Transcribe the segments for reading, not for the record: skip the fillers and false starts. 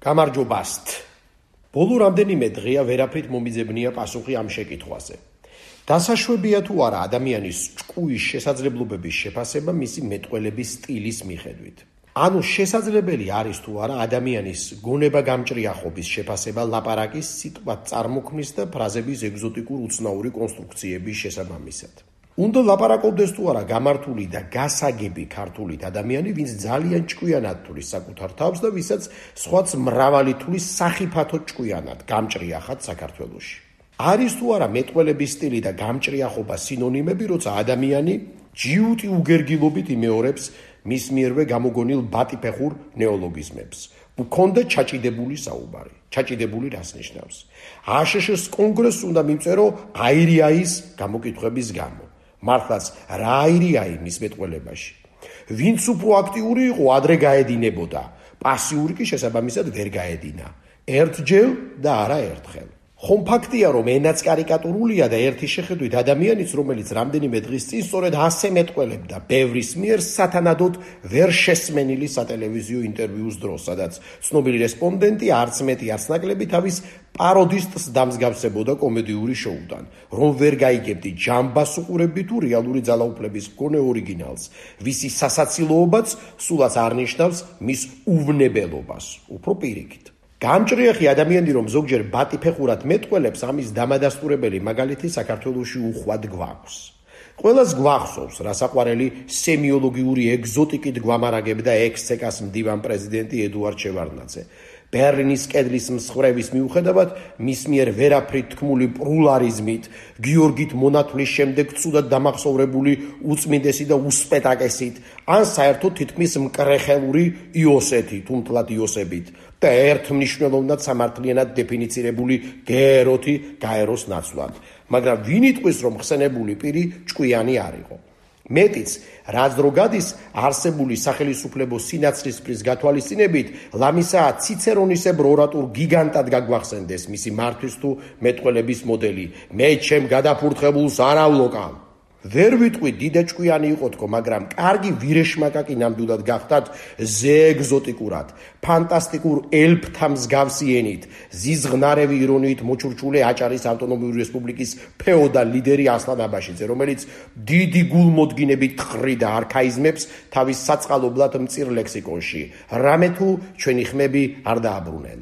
გამარჯობასთ. ბოლო რამდენიმე დღეა ვერაფრით მომიძებნია პასუხი ამ შეკითხვაზე. დასაშვებია თუ არა ადამიანის ჭკუის შესაძლებლობების შეფასება მისი მეტყველების სტილის მიხედვით. ანუ შესაძლებელი არის თუ არა ადამიანის გონება-გამჭრიახობის შეფასება ლაპარაკის სიტყვა წარმოქმნის და ფრაზების ეგზოტიკურ უცნაური კონსტრუქციების შესაბამისად. უნდა ლაპარაკობდეს თუ არა გამართული და გასაგები ქართულით ადამიანი, ვინც ძალიან ჭკვიანად თulis საკუთარ თავს და ვისაც სხვაც მრავალი თulis სახიფათო ჭკვიანად გამჭრიახად საქართველოში. არის თუ არა მეტყველების სტილი და გამჭრიახობა სინონიმები, როცა ადამიანი ჯიუტი უგერგილობით იმეორებს მის მიერვე გამოგონილ ბატიფეხურ ნეოლოგიზმებს. უქონდა ჩაჭიდებული საუბარი. ჩაჭიდებული რას ნიშნავს? აშშ-ს კონგრესს უნდა მიმწერო აირიაის გამოკითხვების გამო. მართლაც რა აირიაი მის მეტყველებაში? ვინც უფრო აქტიური იყო, ადრე გაედინებოდა. პასიური კი შესაბამისად ვერ გაედინა. ერთჯერ და არა ერთხელ. ხომ ფაქტია, რომ ენაც კარიკატურულია და ერთი შეხედვით ადამიანიც, რომელიც რამდენიმე დღის წინ სწორედ ასე მეტყველებდა ბევრის მიერ სათანადოდ ვერ შესმენილი სატელევიზიო ინტერვიუს დროს, სადაც ცნობილი რესპონდენტი არც მეტი არც ნაკლები თავის პაროდისტს დამსგავსებოდა კომედიური შოუდან, რომ ვერ გაიგებდი ჯამბას უყურებდი თუ რეალური ძალაუფლების მქონე ორიგინალს, ვისი სასაცილოობაც სულაც არ ნიშნავს მის უვნებელობას, უფრო პირიქით. გამჭრიახი ადამიანი, რომ ზოგჯერ ბატიფეხურად მეტყველებს, ამის დამადასტურებელი მაგალითი საქართველოში უხვად გვაქვს. ყველას გვახსოვს, რა საყვარელი სემიოლოგიური ეგზოტიკით გვამარაგებდა ექს-ცეკას მდივან პრეზიდენტი ედუარდ შევარდნაძე. ბერლინის კედლის მსხვერპლის მიუხედავად, მის მიერ ვერაფრით თქმული პლურალიზმით, გიორგით მონათვლის შემდეგ ცუდად დამახსოვრებული უწმინდესი და უსპეტაკესით, ან საერთოდ თითქმის მკრეხელური იოსეთი, თუმთლად იოსებით და ერთმნიშვნელოვნად სამართლიანად დეფინიცირებული გეეროთი გაეროს ნაცვლად. მაგრამ ვინ იტყვის, რომ ხსენებული პირი ჭკვიანი არ იყო? მეტიც, რაც დრო გადის არსებული სახელისუფლებო სინაცრისფრის გათვალისწინებით, ლამისაა ციცერონისებრ ორატულ გიგანტად გაგვახსენდეს მისი მართვის თუ მეტყველების მოდელი. მე ჩემ გადაფურთხებულს არ ავლოკავ. ვერ ვიტყვი დიდა ჭკვიანი იყო თქო, მაგრამ კარგი ვირეშმაკაკი ნამდვილად გახდათ ზეეგზოტიკურად, ფანტასტიკურ ელფთა მსგავსი ენით, ზიზღნარევი ირონიით მოჩურჩული აჭარის ავტონომიური რესპუბლიკის ფეოდალ ლიდერი ასლან აბაშიძე, რომელიც დიდი გულმოდგინებით თხრიდა არქაიზმებს თავის საწყალობლად მწირ ლექსიკონში. რამე თუ ჩვენი ხმები არ დააბრუნენ.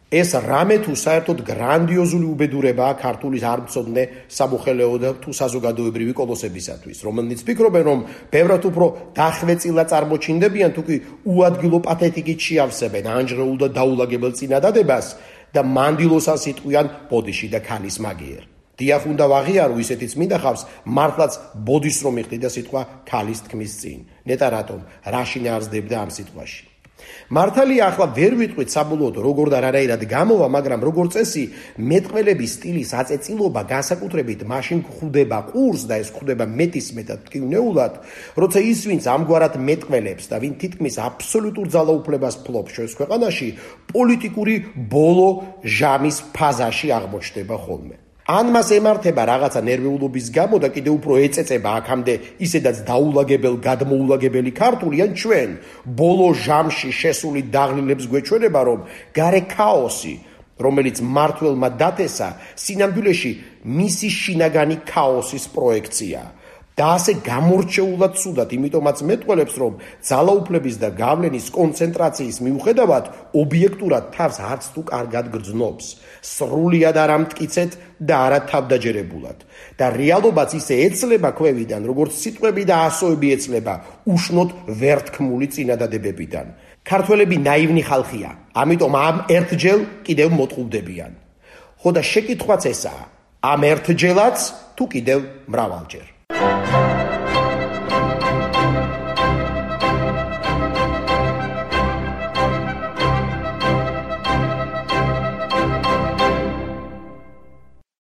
ეს რამე თუ საერთოდ გრანდიოზული უბედურებაა ქართულის არმცოდნე სამოხელეო და თუ საზოგადოებრივი კოლოსებისათვის, რომელნიც ფიქრობენ, რომ ბევრად უფრო დახვეწილა წარმოჩინდებიან, თუ კი უადგილო პათეტიკით შეავსებენ ანჯრეულ და დაულაგებელ წინადადებას და მანდილოსას იტყვიან ბოდიში და ქალის მაგიერ. დიახ, უნდა ვაღიარო, ისეთიც მინდახავს მართლაც ბოდის რომ იხდიდა სიტყვა ქალის თქმის წინ. ნეტა რატომ რა შინაარსდებდა ამ სიტყვაში? მართალია, ახლა ვერ ვიტყვით საბოლოოდ როგორ და რანაირად გამოვა, მაგრამ როგორც წესი, მეტყველების სტილის აწეწილობა განსაკუთრებით მაშინ გვხვდება ყურს და ეს გვხვდება მეტისმეტად ტკივნეულად, როცა ის, ვინც ამგვარად მეტყველებს და ვინ თითქმის აბსოლუტურ ძალაუფლებას ფლობს ჩვენს ქვეყანაში, პოლიტიკური ბოლო ჟამის ფაზაში აღმოჩნდება ხოლმე. ან მას ემართება რაღაცა ნერვიულობის გამო და კიდევ უფრო ეწეწება აქამდე ისედაც დაულაგებელ გადმოულაგებელი ქართული, ან ჩვენ ბოლო ჟამში შესული დაღლილებს გვეჩვენება, რომ გარე ქაოსი, რომელიც მმართველმა დათესა, სინამდვილეში მისი შინაგანი ქაოსის პროექციაა. და ასე გამორჩეულად ცუდად, იმიტომაც მეტყველებს, რომ ძალაუფლების და გავლენის კონცენტრაციის მიუხედავად ობიექტურად თავს არც თუ კარგად გრძნობს, სრულიად არ ამტკიცეთ და არა თავდაჯერებულად. და რეალობაც ისე ეცლება ქვევიდან, როგორც სიტყვები და ასოები ეცლება უშნოდ ვერთქმული წინადადებებიდან. ქართველები ნაივნი ხალხია, ამიტომ ამ ერთჯერ კიდევ მოტყუდებიან. ხო და შეკითხვაც ესაა, ამ ერთჯერაც თუ კიდევ მრავალჯერ.